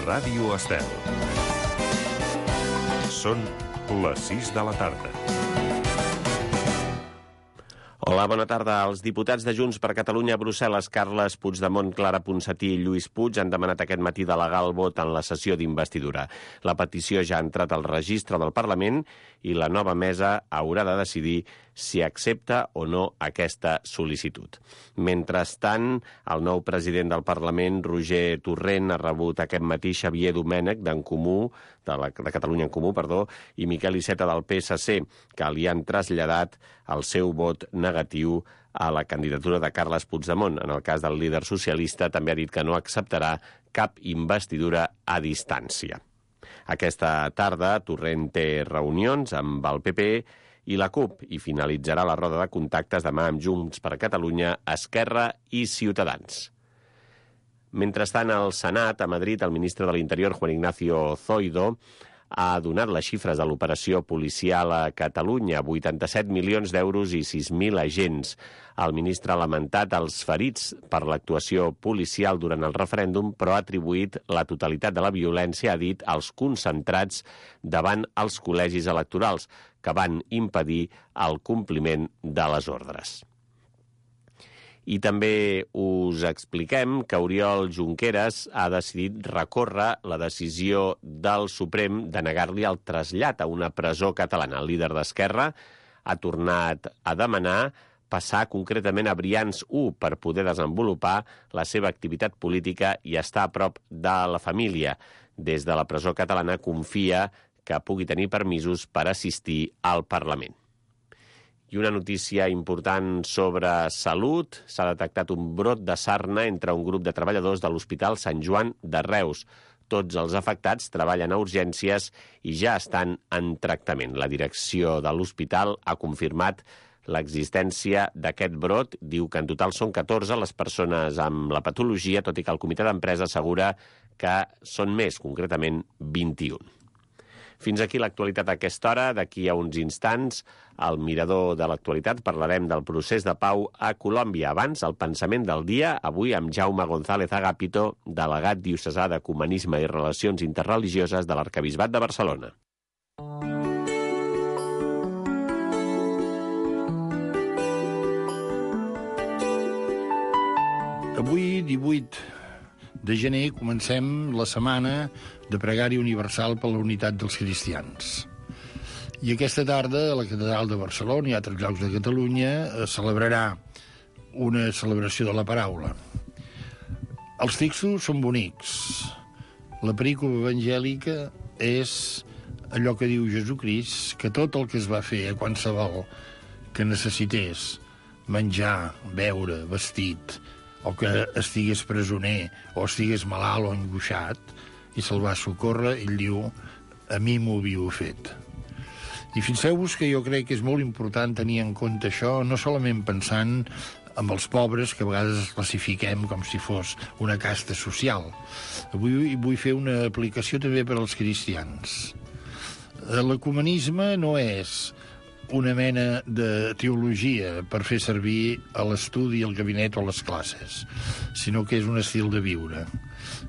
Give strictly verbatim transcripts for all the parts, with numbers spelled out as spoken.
Ràdio Estel. Són les sis de la tarda. Hola, bona tarda. Els diputats de Junts per Catalunya a Brussel·les, Carles Puigdemont, Clara Ponsatí i Lluís Puig, han demanat aquest matí delegar el vot en la sessió d'investidura. La petició ja ha entrat al registre del Parlament i la nova mesa haurà de decidir si accepta o no aquesta sol·licitud. Mentrestant, el nou president del Parlament, Roger Torrent, ha rebut aquest matí Xavier Domènech d'en Comú, de, la, de Catalunya en Comú, perdó, i Miquel Iceta del P S C, que li han traslladat el seu vot negatiu a la candidatura de Carles Puigdemont. En el cas del líder socialista, també ha dit que no acceptarà cap investidura a distància. Aquesta tarda, Torrent té reunions amb el P P i la CUP i finalitzarà la roda de contactes demà amb Junts per Catalunya, Esquerra i Ciutadans. Mentrestant, al Senat, a Madrid, el ministre de l'Interior, Juan Ignacio Zoido, ha donat les xifres de l'operació policial a Catalunya, vuitanta-set milions d'euros i sis mil agents. El ministre ha lamentat els ferits per l'actuació policial durant el referèndum, però ha atribuït la totalitat de la violència, ha dit, als concentrats davant els col·legis electorals, que van impedir el compliment de les ordres. I també us expliquem que Oriol Junqueras ha decidit recórrer la decisió del Suprem de negar-li el trasllat a una presó catalana. El líder d'Esquerra ha tornat a demanar passar concretament a Brians u per poder desenvolupar la seva activitat política i estar a prop de la família. Des de la presó catalana confia que pugui tenir permisos per assistir al Parlament. I una notícia important sobre salut. S'ha detectat un brot de sarna entre un grup de treballadors de l'Hospital Sant Joan de Reus. Tots els afectats treballen a urgències i ja estan en tractament. La direcció de l'hospital ha confirmat l'existència d'aquest brot. Diu que en total són catorze les persones amb la patologia, tot i que el comitè d'empresa assegura que són més, concretament vint-i-un. Fins aquí l'actualitat a aquesta hora. D'aquí a uns instants, al Mirador de l'Actualitat, parlarem del procés de pau a Colòmbia. Abans, el pensament del dia, avui amb Jaume González Agapito, delegat diocesà d'Ecumenisme i Relacions Interreligioses de l'Arquebisbat de Barcelona. Avui, divuit de gener, comencem la setmana de pregària universal per la unitat dels cristians. I aquesta tarda, a la Catedral de Barcelona i a altres llocs de Catalunya, es celebrarà una celebració de la paraula. Els textos són bonics. La perícopa evangèlica és allò que diu Jesucrist, que tot el que es va fer a qualsevol que necessités menjar, beure, vestit, o que estigués presoner, o estigués malalt o angoixat, i se'l va socórrer, ell diu, a mi m'ho havíeu fet. I fixeu-vos que jo crec que és molt important tenir en compte això, no solament pensant en els pobres, que a vegades els classifiquem com si fos una casta social. Avui vull fer una aplicació també per als cristians. L'ecumenisme no és una mena de teologia per fer servir a l'estudi, al gabinet o a les classes, sinó que és un estil de viure.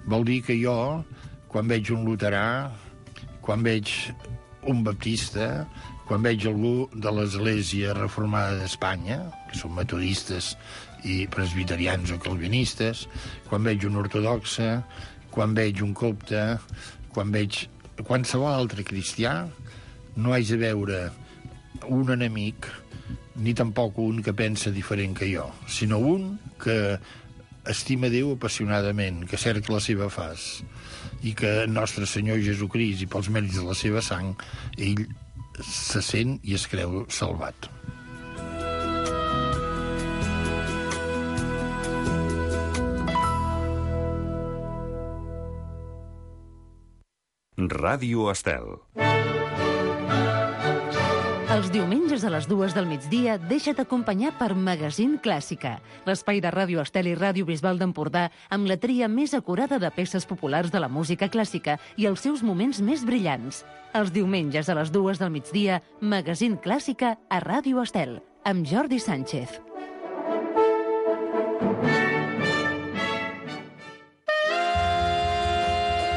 Vol dir que jo, quan veig un luterà, quan veig un baptista, quan veig algú de l'Església Reformada d'Espanya, que són metodistes i presbiterians o calvinistes, quan veig un ortodoxe, quan veig un copte, quan veig qualsevol altre cristià, no haig de veure un enemic, ni tampoc un que pensa diferent que jo, sinó un que estima Déu apassionadament, que cerca la seva faç, i que Nostre Senyor Jesucrist, i pels mèrits de la seva sang, ell se sent i es creu salvat. Ràdio Estel. Els diumenges a les dues del migdia deixa't acompanyar per Magazín Clàssica, l'espai de Ràdio Estel i Ràdio Bisbal d'Empordà amb la tria més acurada de peces populars de la música clàssica i els seus moments més brillants. Els diumenges a les dues del migdia, Magazín Clàssica a Ràdio Estel, amb Jordi Sánchez.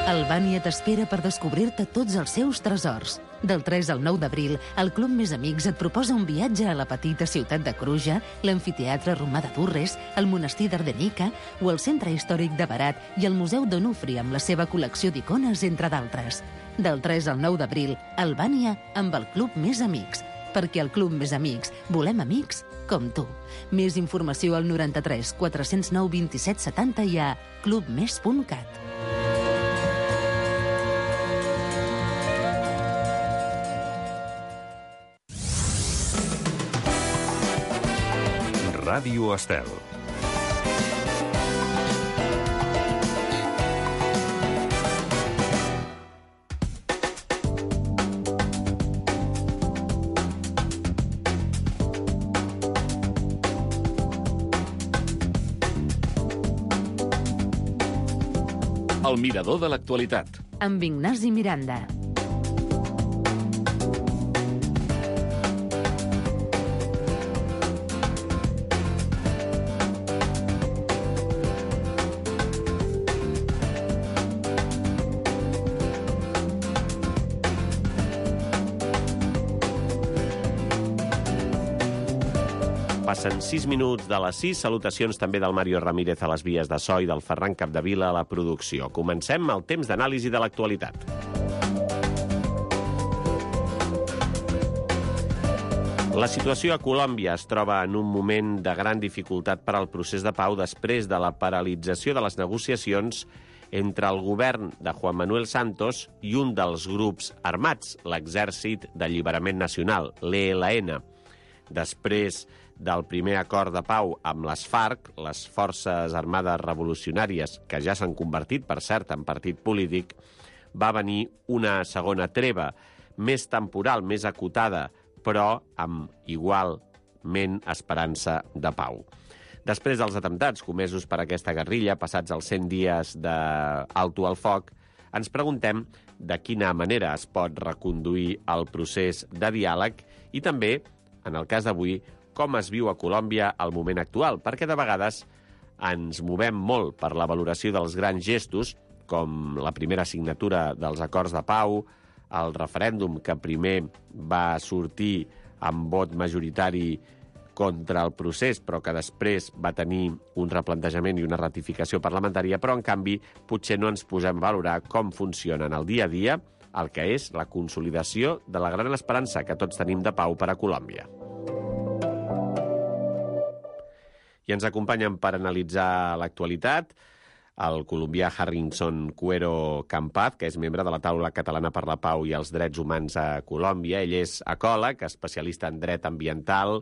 Albània t'espera per descobrir-te tots els seus tresors. Del tres al nou d'abril, el Club Més Amics et proposa un viatge a la petita ciutat de Cruja, l'amfiteatre romà de Durres, el monestir d'Ardenica o el centre històric de Berat i el Museu d'Onufri amb la seva col·lecció d'icones, entre d'altres. Del tres al nou d'abril, Albània amb el Club Més Amics. Perquè al Club Més Amics volem amics com tu. Més informació al noranta-tres quatre-cents nou vint-i-set setanta i a clubmes punt cat. Ràdio Estel. El mirador de l'actualitat. Amb Ignasi Miranda. Passen sis minuts de les sis. Salutacions també del Mario Ramírez a les vies de so i del Ferran Capdevila a la producció. Comencem el temps d'anàlisi de l'actualitat. La situació a Colòmbia es troba en un moment de gran dificultat per al procés de pau després de la paralització de les negociacions entre el govern de Juan Manuel Santos i un dels grups armats, l'Exèrcit d'Alliberament Nacional, l'E L N. Després del primer acord de pau amb les FARC, les Forces Armades Revolucionàries, que ja s'han convertit, per cert, en partit polític, va venir una segona treva, més temporal, més acotada, però amb igualment esperança de pau. Després dels atemptats comesos per aquesta guerrilla, passats els cent dies d'alto al foc, ens preguntem de quina manera es pot reconduir el procés de diàleg i també, en el cas d'avui, com es viu a Colòmbia al moment actual, perquè de vegades ens movem molt per la valoració dels grans gestos, com la primera signatura dels acords de pau, el referèndum que primer va sortir amb vot majoritari contra el procés, però que després va tenir un replantejament i una ratificació parlamentària, però, en canvi, potser no ens posem a valorar com funciona en el dia a dia el que és la consolidació de la gran esperança que tots tenim de pau per a Colòmbia. I ens acompanyen per analitzar l'actualitat el colombià Harrison Cuero Campaz, que és membre de la Taula Catalana per la Pau i els Drets Humans a Colòmbia. Ell és ecòleg, especialista en dret ambiental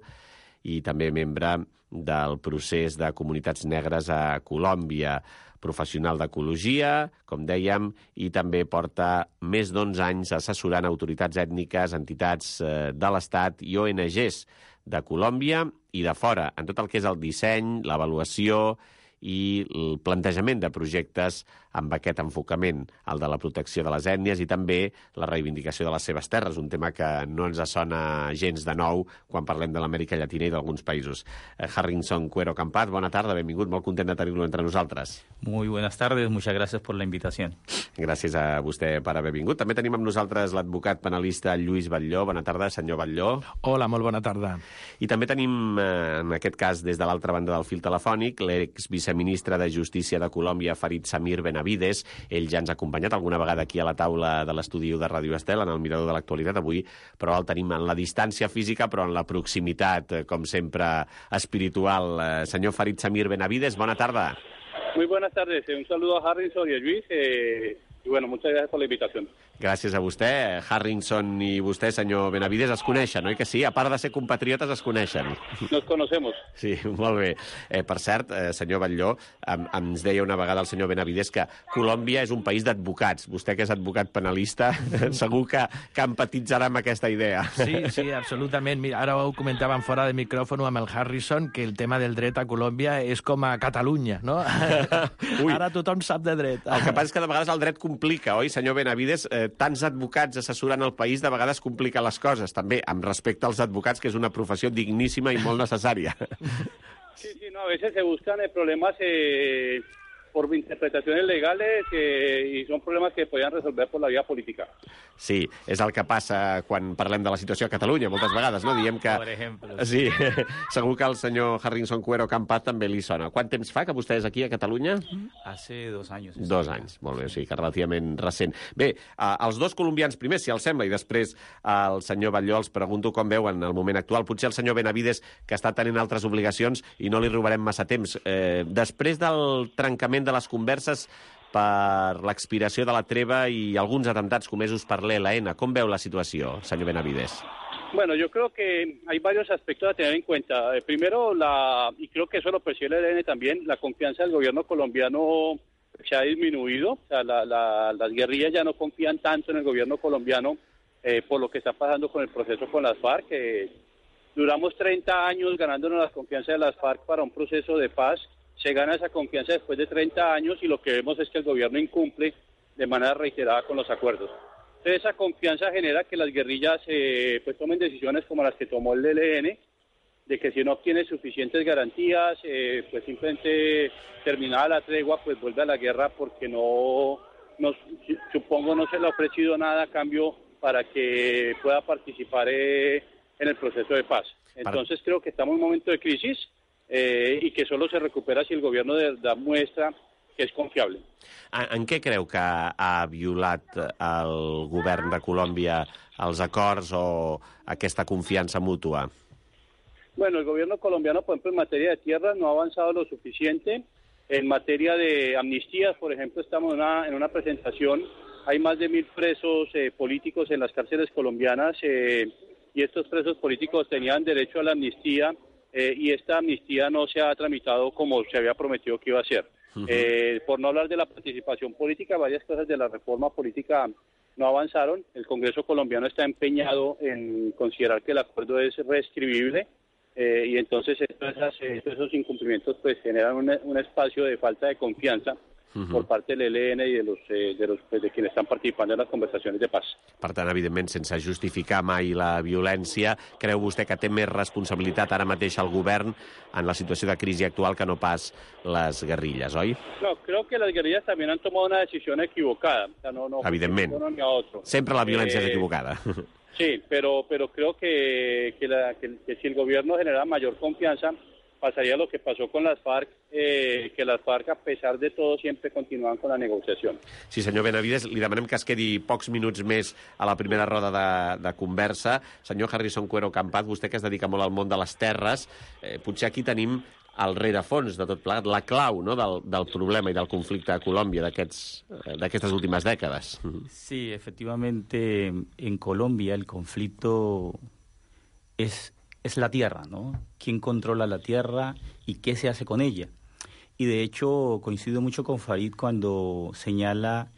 i també membre del procés de comunitats negres a Colòmbia, professional d'ecologia, com dèiem, i també porta més d'onze anys assessorant autoritats ètniques, entitats de l'Estat i O N Ges de Colòmbia i de fora, en tot el que és el disseny, l'avaluació i el plantejament de projectes amb aquest enfocament, el de la protecció de les ètnies i també la reivindicació de les seves terres, un tema que no ens sona gens de nou quan parlem de l'Amèrica Llatina i d'alguns països. Harrison Cuero Campaz, bona tarda, benvingut, molt content de tenir-lo entre nosaltres. Muy buenas tardes, muchas gracias por la invitación. Gràcies a vostè per haver vingut. També tenim amb nosaltres l'advocat penalista Lluís Batlló. Bona tarda, senyor Batlló. Hola, molt bona tarda. I també tenim, en aquest cas, des de l'altra banda del fil telefònic, l'exviceministre de Justícia de Colòmbia, Farid Samir Benavides. Ell ja ens ha acompanyat alguna vegada aquí a la taula de l'estudi de Ràdio Estel, en el mirador de l'actualitat avui, però el tenim en la distància física, però en la proximitat, com sempre, espiritual. Senyor Farid Samir Benavides, bona tarda. Muy buenas tardes. Un saludo a Harrison y a Luis. Eh, y bueno, muchas gracias por la invitación. Gràcies a vostè. Harrison i vostè, senyor Benavides, es coneixen, oi que sí? A part de ser compatriotes, es coneixen. Nos conocemos. Sí, molt bé. Eh, per cert, eh, senyor Batlló, em, ens deia una vegada el senyor Benavides que Colòmbia és un país d'advocats. Vostè, que és advocat penalista, segur que, que empatitzarà amb aquesta idea. Sí, sí, absolutament. Mira, ara ho comentàvem fora de micròfon amb el Harrison, que el tema del dret a Colòmbia és com a Catalunya, no? Ui. Ara tothom sap de dret. El que passa és que de vegades el dret complica, oi, senyor Benavides? Eh, tants advocats assessorant el país de vegades complica les coses, també, amb respecte als advocats, que és una professió digníssima i molt necessària. Sí, sí, no, a veces se buscan problemas eh, por interpretaciones legales eh, i són problemes que podien resolver per la via política. Sí, és el que passa quan parlem de la situació a Catalunya, moltes vegades, no? Diem que... Per exemple. Sí, segur que el senyor Harrison Cuero Campat també li sona. Quant temps fa que vostè és aquí a Catalunya? Hace dos anys. Dos anys, molt bé, sí, que relativament recent. Bé, eh, els dos colombians primers, si els sembla, i després el senyor Batlló els pregunto com veuen el moment actual. Potser el senyor Benavides, que està tenint altres obligacions i no li robarem massa temps. Eh, després del trencament de les converses per l'expiració de la treva i alguns atemptats comesos per l'E L N, com veu la situació, senyor Benavides? Bueno, yo creo que hay varios aspectos a tener en cuenta. Eh, primero, la y creo que eso lo percibe el E L N también, la confianza del gobierno colombiano se ha disminuido. O sea, la, la, las guerrillas ya no confían tanto en el gobierno colombiano eh, por lo que está pasando con el proceso con las FARC. Eh, duramos treinta años ganándonos la confianza de las FARC para un proceso de paz. Se gana esa confianza después de treinta años y lo que vemos es que el gobierno incumple de manera reiterada con los acuerdos. Entonces esa confianza genera que las guerrillas eh, pues tomen decisiones como las que tomó el E L N, de que si no obtiene suficientes garantías, eh, pues simplemente terminada la tregua, pues vuelve a la guerra porque no, no supongo no se le ha ofrecido nada a cambio para que pueda participar eh, en el proceso de paz. Entonces creo que estamos en un momento de crisis eh, y que solo se recupera si el gobierno de verdad muestra que és confiable. En, en què creu que ha violat el govern de Colòmbia els acords o aquesta confiança mútua? Bueno, el gobierno colombiano, por ejemplo, en materia de tierras no ha avanzado lo suficiente. En materia de amnistías, por ejemplo, estamos en una, en una presentación, hay más de mil presos eh, políticos en las cárceles colombianas eh, y estos presos políticos tenían derecho a la amnistía eh, y esta amnistía no se ha tramitado como se había prometido que iba a ser. Uh-huh. Eh, por no hablar de la participación política, varias cosas de la reforma política no avanzaron. El Congreso colombiano está empeñado en considerar que el acuerdo es reescribible eh, y entonces estos, esos incumplimientos pues generan un, un espacio de falta de confianza uh-huh. por parte del E L N i de, los, eh, de, los, pues, de quienes estan participant en les conversacions de paz. Per tant, evidentment, sense justificar mai la violència, creu vostè que té més responsabilitat ara mateix el govern en la situació de crisi actual que no pas les guerrilles, oi? No, creo que las guerrillas también han tomado una decisión equivocada. O sea, no, no, evidentment. Uno ni a otro. Sempre la violència eh, és equivocada. Sí, pero, pero creo que, que, la, que, que si el gobierno genera mayor confianza, pasaría lo que pasó con las FARC, eh, que las FARC, a pesar de todo, siempre continúan con la negociación. Sí, senyor Benavides, li demanem que es quedi pocs minuts més a la primera roda de, de conversa. Senyor Harrison Cuero Campat, vostè que es dedica molt al món de les terres, eh, potser aquí tenim el rerefons de tot plegat, la clau, no?, del, del problema i del conflicte a Colòmbia d'aquestes últimes dècades. Sí, efectivamente, en Colombia el conflicto es, es la tierra, ¿no? ¿Quién controla la tierra y qué se hace con ella? Y de hecho coincido mucho con Farid cuando señala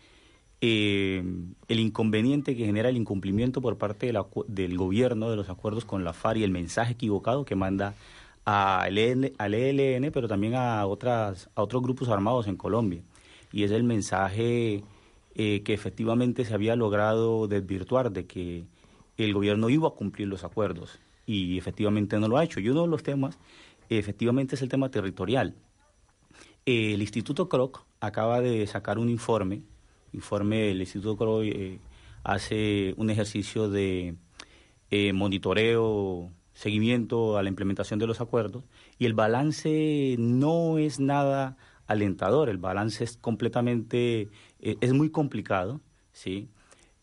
eh, el inconveniente que genera el incumplimiento por parte de la, del gobierno de los acuerdos con la FARC y el mensaje equivocado que manda al E L N, pero también a, otras, a otros grupos armados en Colombia. Y es el mensaje eh, que efectivamente se había logrado desvirtuar de que el gobierno iba a cumplir los acuerdos y efectivamente no lo ha hecho. Y uno de los temas, efectivamente, es el tema territorial. Eh, el Instituto Kroc acaba de sacar un informe, informe el Instituto Kroc eh, hace un ejercicio de eh, monitoreo, seguimiento a la implementación de los acuerdos, y el balance no es nada alentador, el balance es completamente, eh, es muy complicado, ¿sí?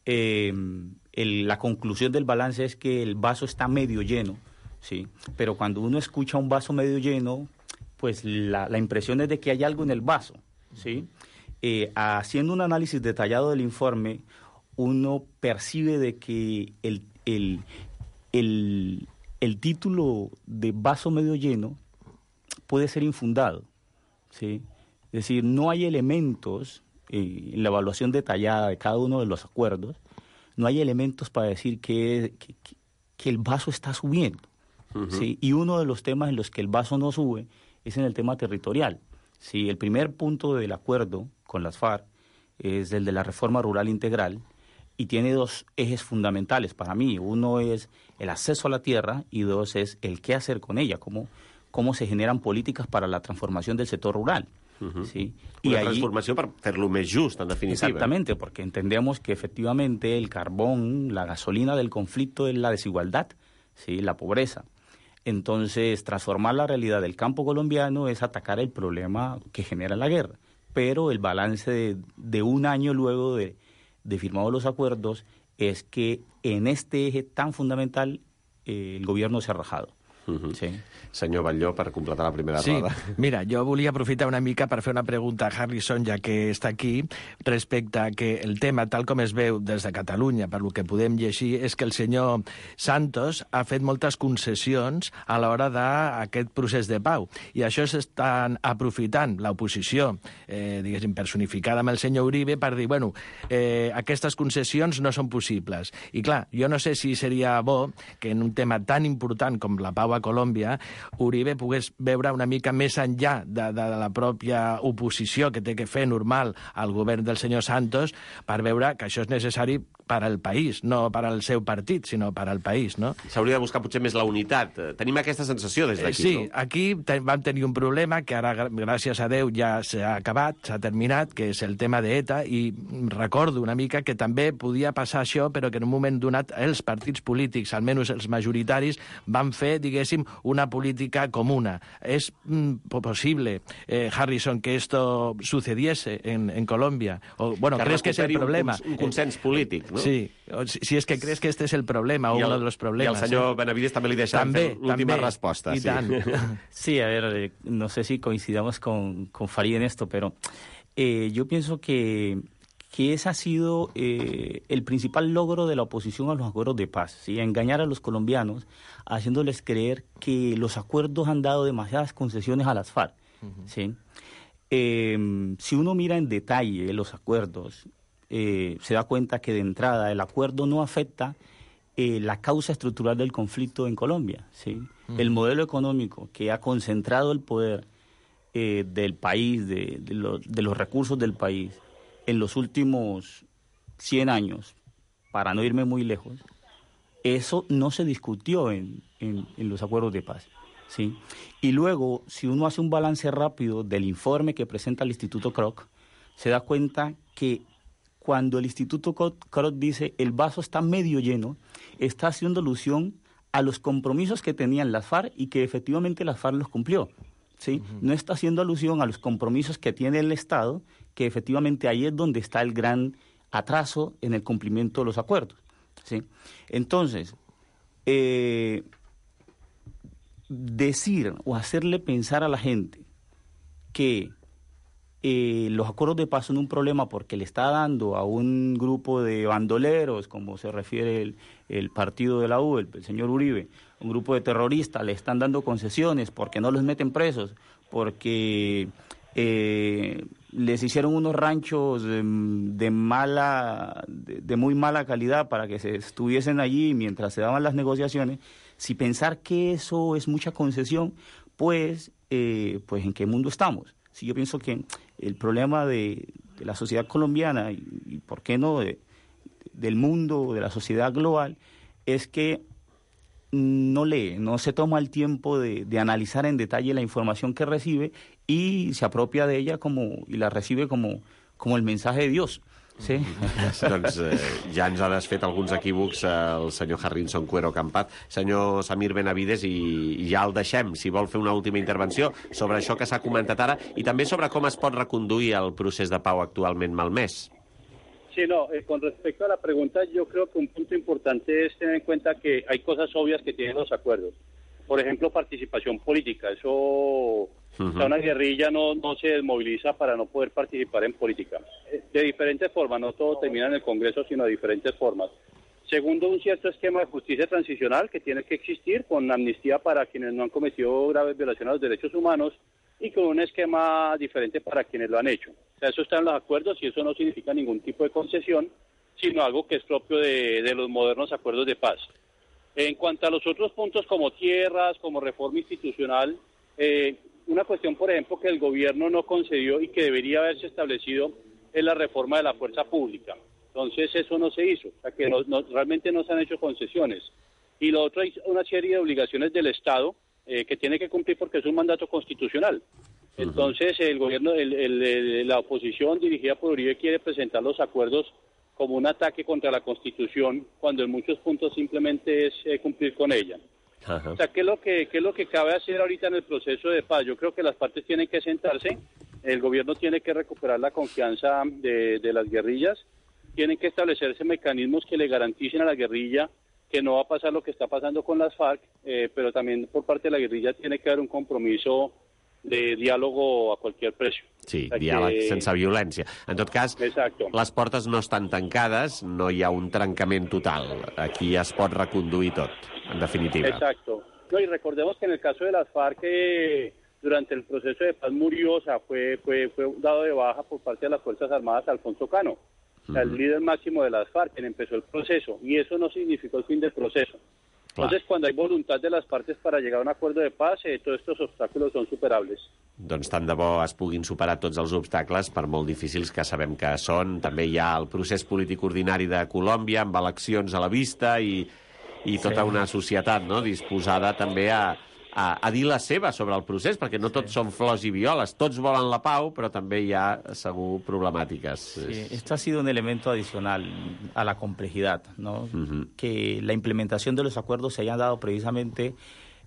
Eh, el, la conclusión del balance es que el vaso está medio lleno, ¿sí? Pero cuando uno escucha un vaso medio lleno, pues la, la impresión es de que hay algo en el vaso, ¿sí? Eh, haciendo un análisis detallado del informe, uno percibe de que el, el, el el título de vaso medio lleno puede ser infundado, ¿sí? Es decir, no hay elementos eh, en la evaluación detallada de cada uno de los acuerdos, no hay elementos para decir que, que, que el vaso está subiendo, uh-huh. ¿sí? Y uno de los temas en los que el vaso no sube es en el tema territorial, ¿sí? El primer punto del acuerdo con las FARC es el de la reforma rural integral, y tiene dos ejes fundamentales para mí. Uno es el acceso a la tierra y dos es el qué hacer con ella, cómo, cómo se generan políticas para la transformación del sector rural. Uh-huh. ¿sí? Una y ahí, transformación para hacerlo más justo, en definitiva. Exactamente, porque entendemos que efectivamente el carbón, la gasolina del conflicto es la desigualdad, ¿sí? La pobreza. Entonces, transformar la realidad del campo colombiano es atacar el problema que genera la guerra. Pero el balance de, de un año luego de, de firmados los acuerdos es que en este eje tan fundamental eh, el gobierno se ha rajado. Uh-huh. Sí. Senyor Batlló, per completar la primera sí, roda. Mira, jo volia aprofitar una mica per fer una pregunta a Harrison, ja que està aquí, respecte a que el tema, tal com es veu des de Catalunya, per lo que podem llegir, és que el senyor Santos ha fet moltes concessions a l'hora d'aquest procés de pau. I això s'estan aprofitant l'oposició, eh, diguéssim, personificada amb el senyor Uribe, per dir, bueno, eh, aquestes concessions no són possibles. I clar, jo no sé si seria bo que en un tema tan important com la pau a Colòmbia, Uribe pogués veure una mica més enllà de, de, de la pròpia oposició que té que fer normal al govern del senyor Santos per veure que això és necessari per al país, no per al seu partit, sinó per al país, no? S'hauria de buscar potser més la unitat. Tenim aquesta sensació des d'aquí, sí, no? Sí, aquí te, vam tenir un problema que ara, gràcies a Déu, ja s'ha acabat, s'ha terminat, que és el tema d'ETA, i recordo una mica que també podia passar això, però que en un moment donat els partits polítics, almenys els majoritaris, van fer, diguéssim, una política comuna. És mm, possible, eh, Harrison, que esto sucediese en, en Colombia? O, bueno, que ¿crees que es el problema? Un, un consens polític, no? Sí, si, si és que crees que este és el problema, o el, uno de los problemas. I el senyor eh? Benavides també li deixa l'última resposta. I sí. tant. Sí, a ver, no sé si coincidamos con, con Farid en esto, pero eh, yo pienso que, que ese ha sido eh, el principal logro de la oposición a los acuerdos de paz, ¿sí? Engañar a los colombianos, haciéndoles creer que los acuerdos han dado demasiadas concesiones a las FARC, uh-huh. ¿sí? Eh, si uno mira en detalle los acuerdos, eh, se da cuenta que de entrada el acuerdo no afecta eh, la causa estructural del conflicto en Colombia, ¿sí? Uh-huh. El modelo económico que ha concentrado el poder eh, del país, de, de, lo, de los recursos del país, en los últimos cien años, para no irme muy lejos, eso no se discutió en, en, en los acuerdos de paz, ¿sí? Y luego, si uno hace un balance rápido del informe que presenta el Instituto Kroc, se da cuenta que cuando el Instituto Kroc dice el vaso está medio lleno, está haciendo alusión a los compromisos que tenían las FARC y que efectivamente las FARC los cumplió, ¿sí? Uh-huh. No está haciendo alusión a los compromisos que tiene el Estado, que efectivamente ahí es donde está el gran atraso en el cumplimiento de los acuerdos, ¿sí? Entonces, eh, decir o hacerle pensar a la gente que eh, los acuerdos de paz son un problema porque le está dando a un grupo de bandoleros, como se refiere el, el partido de la U, el, el señor Uribe, un grupo de terroristas, le están dando concesiones porque no los meten presos, porque eh, les hicieron unos ranchos de, de mala, de, de muy mala calidad para que se estuviesen allí mientras se daban las negociaciones. Si pensar que eso es mucha concesión, pues, eh, pues ¿en qué mundo estamos? Si yo pienso que el problema de, de la sociedad colombiana y, y por qué no de, del mundo, de la sociedad global, es que no lee, no se toma el tiempo de, de analizar en detalle la información que recibe y se apropia de ella como y la recibe como, como el mensaje de Dios. Sí. Doncs eh, ja ens ha desfet alguns equívocs eh, el senyor Harrison Cuero Campat. Senyor Samir Benavides, i, i ja el deixem, si vol fer una última intervenció sobre això que s'ha comentat ara i també sobre com es pot reconduir el procés de pau actualment malmès. Sí, no, eh, con respecto a la pregunta, yo creo que un punto importante es tener en cuenta que hay cosas obvias que tienen los acuerdos. Por ejemplo, participación política. Eso, uh-huh. O sea, una guerrilla no, no se desmoviliza para no poder participar en política. De diferentes formas, no todo termina en el Congreso, sino de diferentes formas. Segundo, un cierto esquema de justicia transicional que tiene que existir, con amnistía para quienes no han cometido graves violaciones a los derechos humanos y con un esquema diferente para quienes lo han hecho. O sea, eso está en los acuerdos y eso no significa ningún tipo de concesión, sino algo que es propio de, de los modernos acuerdos de paz. En cuanto a los otros puntos como tierras, como reforma institucional, eh, una cuestión, por ejemplo, que el gobierno no concedió y que debería haberse establecido es la reforma de la fuerza pública. Entonces eso no se hizo, o sea que no, no, realmente no se han hecho concesiones. Y lo otro es una serie de obligaciones del Estado eh, que tiene que cumplir porque es un mandato constitucional. Entonces, el gobierno, el, el, el, la oposición dirigida por Uribe quiere presentar los acuerdos como un ataque contra la Constitución, cuando en muchos puntos simplemente es eh, cumplir con ella. Ajá. O sea, ¿qué es lo que qué es lo que cabe hacer ahorita en el proceso de paz? Yo creo que las partes tienen que sentarse, el gobierno tiene que recuperar la confianza de, de las guerrillas, tienen que establecerse mecanismos que le garanticen a la guerrilla que no va a pasar lo que está pasando con las FARC, eh, pero también por parte de la guerrilla tiene que haver un compromiso de diàleg a qualsevol precio. Sí, diàleg que... sense violència. En tot cas, Exacto. les portes no estan tancades, no hi ha un trencament total. Aquí es pot reconduir tot, en definitiva. Exacto. No, y recordemos que en el caso de las FARC, eh, durante el proceso de paz murió, o sea, fue, fue, fue dado de baja por parte de las Fuerzas Armadas Alfonso Cano, o sea, el líder máximo de las FARC, quien empezó el proceso, y eso no significó el fin del proceso. Entonces, cuando hay voluntad de las partes para llegar a un acuerdo de paz, eh, todos estos obstáculos son superables. Doncs tant de bo es puguin superar tots els obstacles, per molt difícils que sabem que són. També hi ha el procés polític ordinari de Colòmbia, amb eleccions a la vista i, i tota sí. una societat, no?, disposada també a, a, a dir la seva sobre el procés, perquè no tots sí. són flors i violes. Tots volen la pau, però també hi ha, segur, problemàtiques. Sí, esto ha sido un elemento adicional a la complejidad, ¿no? Uh-huh. Que la implementación de los acuerdos se haya dado precisamente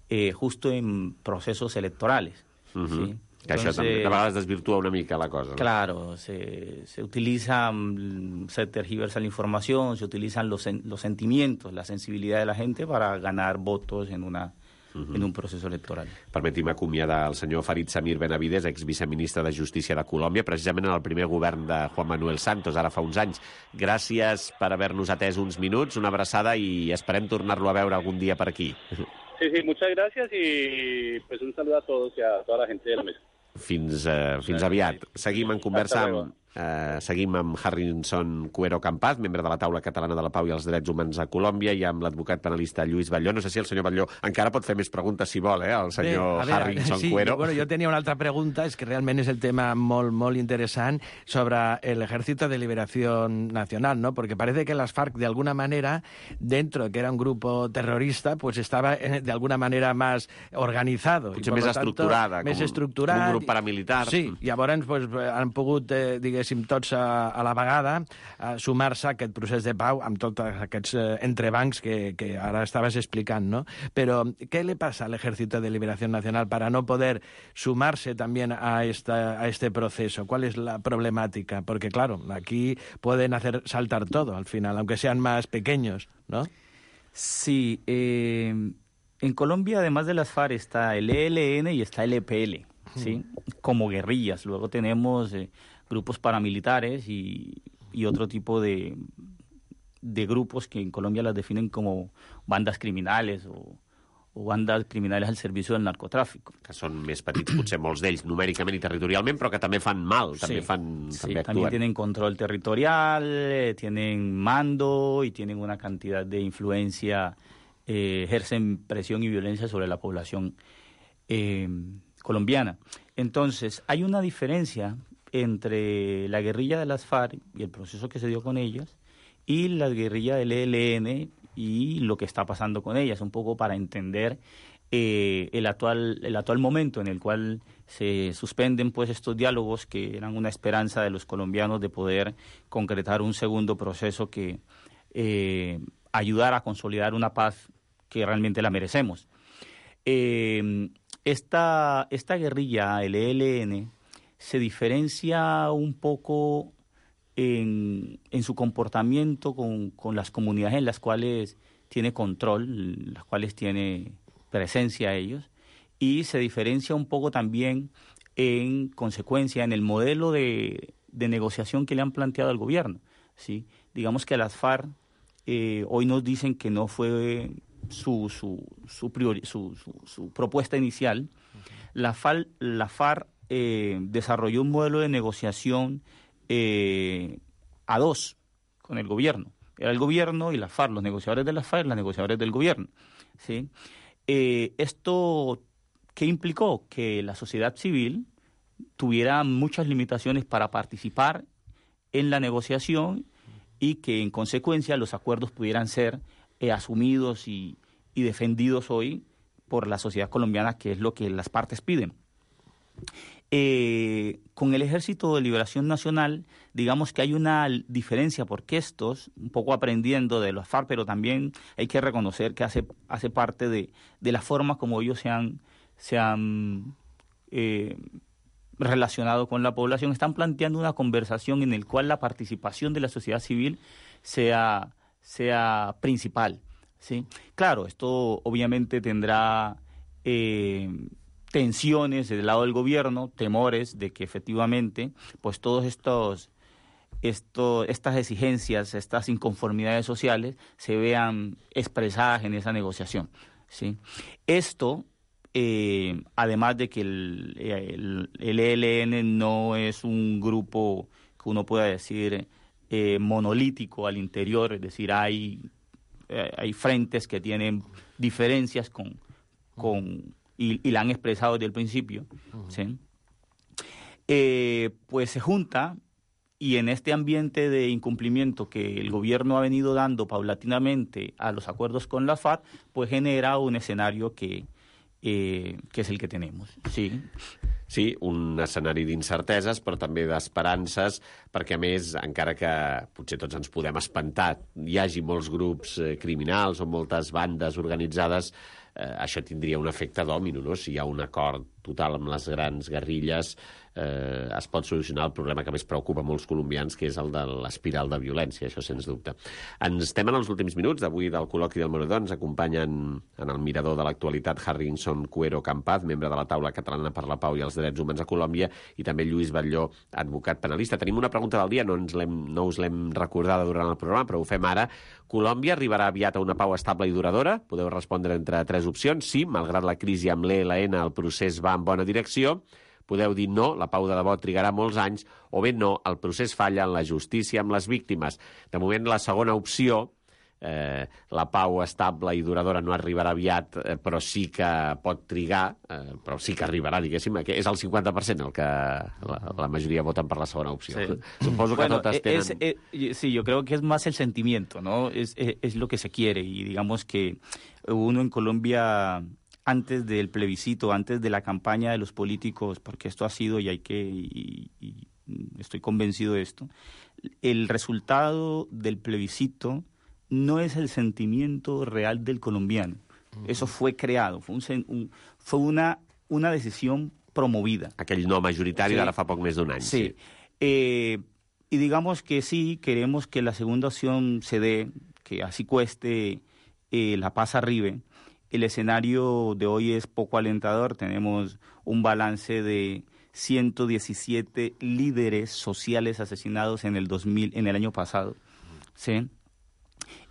eh, justo en procesos electorales. Uh-huh. ¿Sí? Que Entonces, això també a vegades desvirtua una mica la cosa, ¿no? Claro, se, se utiliza, se tergiversa la información, se utilizan los, los sentimientos, la sensibilidad de la gente para ganar votos en una... Uh-huh. en un procés electoral. Permetim acomiadar el senyor Farid Samir Benavides, exviceministre de Justícia de Colòmbia, precisament en el primer govern de Juan Manuel Santos, ara fa uns anys. Gràcies per haver-nos atès uns minuts, una abraçada i esperem tornar-lo a veure algun dia per aquí. Sí, sí, muchas gracias y pues un saludo a todos y a toda la gente de la mesa. Fins, uh, fins aviat. Seguim en conversa amb, uh, seguim amb Harrison Cuero Campaz, membre de la Taula Catalana de la Pau i els Drets Humans a Colòmbia, i amb l'advocat penalista Lluís Batlló. No sé si el senyor Batlló encara pot fer més preguntes, si vol, eh, el senyor Bé, veure, Harrison sí, Cuero. Bueno, jo tenia una altra pregunta, és que realment és el tema molt, molt interessant, sobre el Ejército de Liberación Nacional, ¿no? Porque parece que las FARC, de alguna manera, dentro de que era un grupo terrorista, pues estaba de alguna manera más organizado. Potser més estructurada, més com, estructurat, com un grup paramilitar. Sí, llavors pues, han pogut, eh, diguéssim, tots a, a la vegada a sumar-se a aquest procés de pau amb tots aquests eh, entrebancs que, que ara estaves explicant, ¿no? Però ¿qué le pasa al Ejército de Liberación Nacional para no poder sumarse también a, esta, a este proceso? ¿Cuál es la problemática? Porque, claro, aquí pueden hacer saltar todo al final, aunque sean más pequeños, ¿no? Sí, eh, en Colombia, además de las FARC, está el E L N y está el E P L, ¿sí? Como guerrillas. Luego tenemos eh, grupos paramilitares y, y otro tipo de, de grupos que en Colombia las definen como bandas criminales o, o bandas criminales al servicio del narcotráfico. Que són més petits, potser molts d'ells, numèricament i territorialment, però que també fan mal, també sí, fan, sí, també también actúan. tienen control territorial, eh, tienen mando y tienen una cantidad de influencia, eh, ejercen presión y violencia sobre la población eh, colombiana. Entonces, hay una diferencia entre la guerrilla de las FARC y el proceso que se dio con ellas y la guerrilla del E L N y lo que está pasando con ellas, un poco para entender eh, el actual el actual momento en el cual se suspenden pues estos diálogos que eran una esperanza de los colombianos de poder concretar un segundo proceso que eh, ayudara a consolidar una paz que realmente la merecemos. Eh, esta, esta guerrilla, el E L N, se diferencia un poco en, en su comportamiento con, con las comunidades en las cuales tiene control, las cuales tiene presencia ellos, y se diferencia un poco también en consecuencia en el modelo de, de negociación que le han planteado al gobierno, ¿sí? Digamos que las FARC eh, hoy nos dicen que no fue su, su, su, priori, su, su, su propuesta inicial. Okay. La, FAL, la FARC eh, desarrolló un modelo de negociación eh, a dos con el gobierno. Era el gobierno y la FARC, los negociadores de la FARC y los negociadores del gobierno, ¿sí? Eh, esto, ¿qué implicó? Que la sociedad civil tuviera muchas limitaciones para participar en la negociación y que, en consecuencia, los acuerdos pudieran ser eh, asumidos y, y defendidos hoy por la sociedad colombiana, que es lo que las partes piden. Eh, con el Ejército de Liberación Nacional, digamos que hay una diferencia, porque estos, un poco aprendiendo de los FARC, pero también hay que reconocer que hace, hace parte de, de la forma como ellos se han, se han eh, relacionado con la población, están planteando una conversación en la cual la participación de la sociedad civil sea, sea principal, ¿sí? Claro, esto obviamente tendrá Eh, tensiones del lado del gobierno, temores de que efectivamente pues todos estos, esto, estas exigencias, estas inconformidades sociales se vean expresadas en esa negociación, ¿sí? Esto, eh, además de que el, el, el E L N no es un grupo que uno pueda decir eh, monolítico al interior, es decir, hay, eh, hay frentes que tienen diferencias con... con Y, y la han expresado desde el principio, uh-huh. ¿sí? eh, pues se junta, y en este ambiente de incumplimiento que el gobierno ha venido dando paulatinamente a los acuerdos con la FARC, pues genera un escenario que, eh, que és el que tenemos. Sí. Sí, un escenari d'incerteses, però també d'esperances, perquè, a més, encara que potser tots ens podem espantar, hi hagi molts grups eh, criminals o moltes bandes organitzades, eh, això tindria un efecte dòmino, no? Si hi ha un acord total amb les grans guerrilles, eh, es pot solucionar el problema que més preocupa molts colombians, que és el de l'espiral de violència, això sens dubte. Ens estem en els últims minuts d'avui del col·loqui del Moredor. Ens acompanyen en el mirador de l'actualitat Harrison Cuero Campaz, membre de la Taula Catalana per la Pau i els Drets Humans a Colòmbia, i també Lluís Batlló, advocat penalista. Tenim una pregunta del dia, no, ens l'hem, no us l'hem recordada durant el programa, però ho fem ara. Colòmbia arribarà aviat a una pau estable i duradora? Podeu respondre entre tres opcions. Sí, malgrat la crisi amb l'E L N, el procés va en bona direcció. Podeu dir no, la pau de debò trigarà molts anys, o bé no, el procés falla en la justícia amb les víctimes. De moment, la segona opció, eh, la pau estable i duradora no arribarà aviat, eh, però sí que pot trigar, eh, però sí que arribarà, diguéssim, que és el cinquanta per cent el que la, la majoria voten per la segona opció. Sí. Suposo que bueno, totes tenen... Es, es, sí, yo creo que es más el sentimiento, ¿no? Es, es, es lo que se quiere, y digamos que uno en Colombia... antes del plebiscito, antes de la campaña de los políticos, porque esto ha sido, y hay que, y, y estoy convencido de esto, el resultado del plebiscito no es el sentimiento real del colombiano. Uh-huh. Eso fue creado, fue, un, un, fue una, una decisión promovida. Aquell no majoritari, sí. D'ara fa poc més d'un any. Sí. sí. Eh, y digamos que sí, queremos que la segunda opción se dé, que así cueste eh, la paz arribe. El escenario de hoy es poco alentador. Tenemos un balance de ciento diecisiete líderes sociales asesinados en el dos mil, en el año pasado. ¿Sí?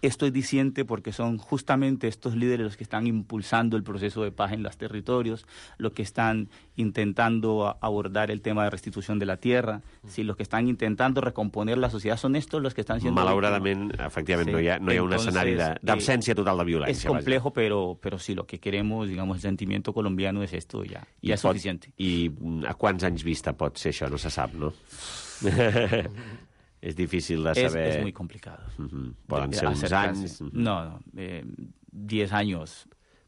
Esto es diciente porque son justamente estos líderes los que están impulsando el proceso de paz en los territorios, los que están intentando abordar el tema de restitución de la tierra, ¿sí? Los que están intentando recomponer la sociedad, son estos los que están siendo... Malauradament, efectivament, sí. no, hi ha, no hi ha un Entonces, escenari d'absència total de violència. Es complejo, pero, pero sí, lo que queremos, digamos, el sentimiento colombiano es esto, ya, ya es pot, suficiente. I a quants anys vista pot ser això? No se sap, no? És difícil de saber... Es, es muy complicado. Uh-huh. Poden ser uns anys... No, no, eh, diez años.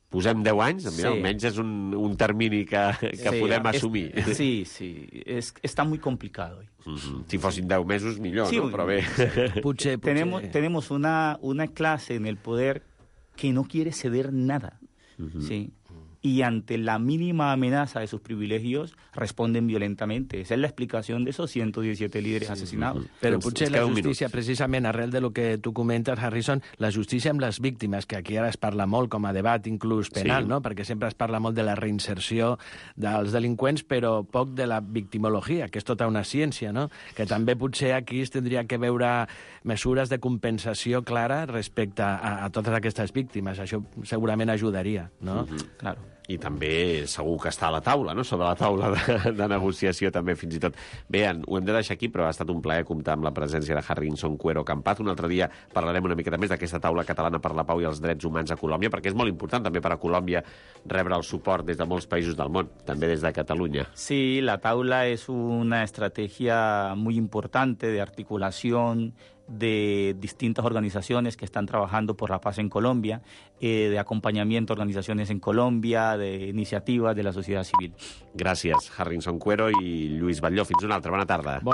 Posem deu anys? Mira, sí. Almenys és un, un termini que, que sí, podem es, assumir. Sí, sí, es, está muy complicado hoy. Uh-huh. Si fossin deu mesos, millor, sí, no? Però bé... Potser, potser... Tenemos, tenemos una, una clase en el poder que no quiere ceder nada, uh-huh. ¿sí? Y ante la mínima amenaza de sus privilegios responden violentamente. Esa es la explicación de esos ciento diecisiete líderes sí, asesinados. Però potser la justícia, precisament, arrel de lo que tu comentes, Harrison, la justícia amb les víctimes, que aquí ara es parla molt com a debat inclús penal, sí. no? Perquè sempre es parla molt de la reinserció dels delinqüents, però poc de la victimologia, que és tota una ciència, no? Que també potser aquí es tindria que veure mesures de compensació clara respecte a, a totes aquestes víctimes. Això segurament ajudaria, no? Uh-huh. Claro. I també segur que està a la taula, no? Sobre la taula de, de negociació també, fins i tot. Bé, ho hem de deixar aquí, però ha estat un plaer comptar amb la presència de Harrison Cuero Campaz. Un altre dia parlarem una miqueta més d'aquesta taula catalana per la pau i els drets humans a Colòmbia, perquè és molt important també per a Colòmbia rebre el suport des de molts països del món, també des de Catalunya. Sí, la taula es una estrategia muy importante de articulación, de distintas organizaciones que están trabajando por la paz en Colombia, eh, de acompañamiento a organizaciones en Colombia, de iniciativas de la sociedad civil. Gràcies, Harrison Cuero i Lluís Batlló. Fins una altra. Bona tarda. Bona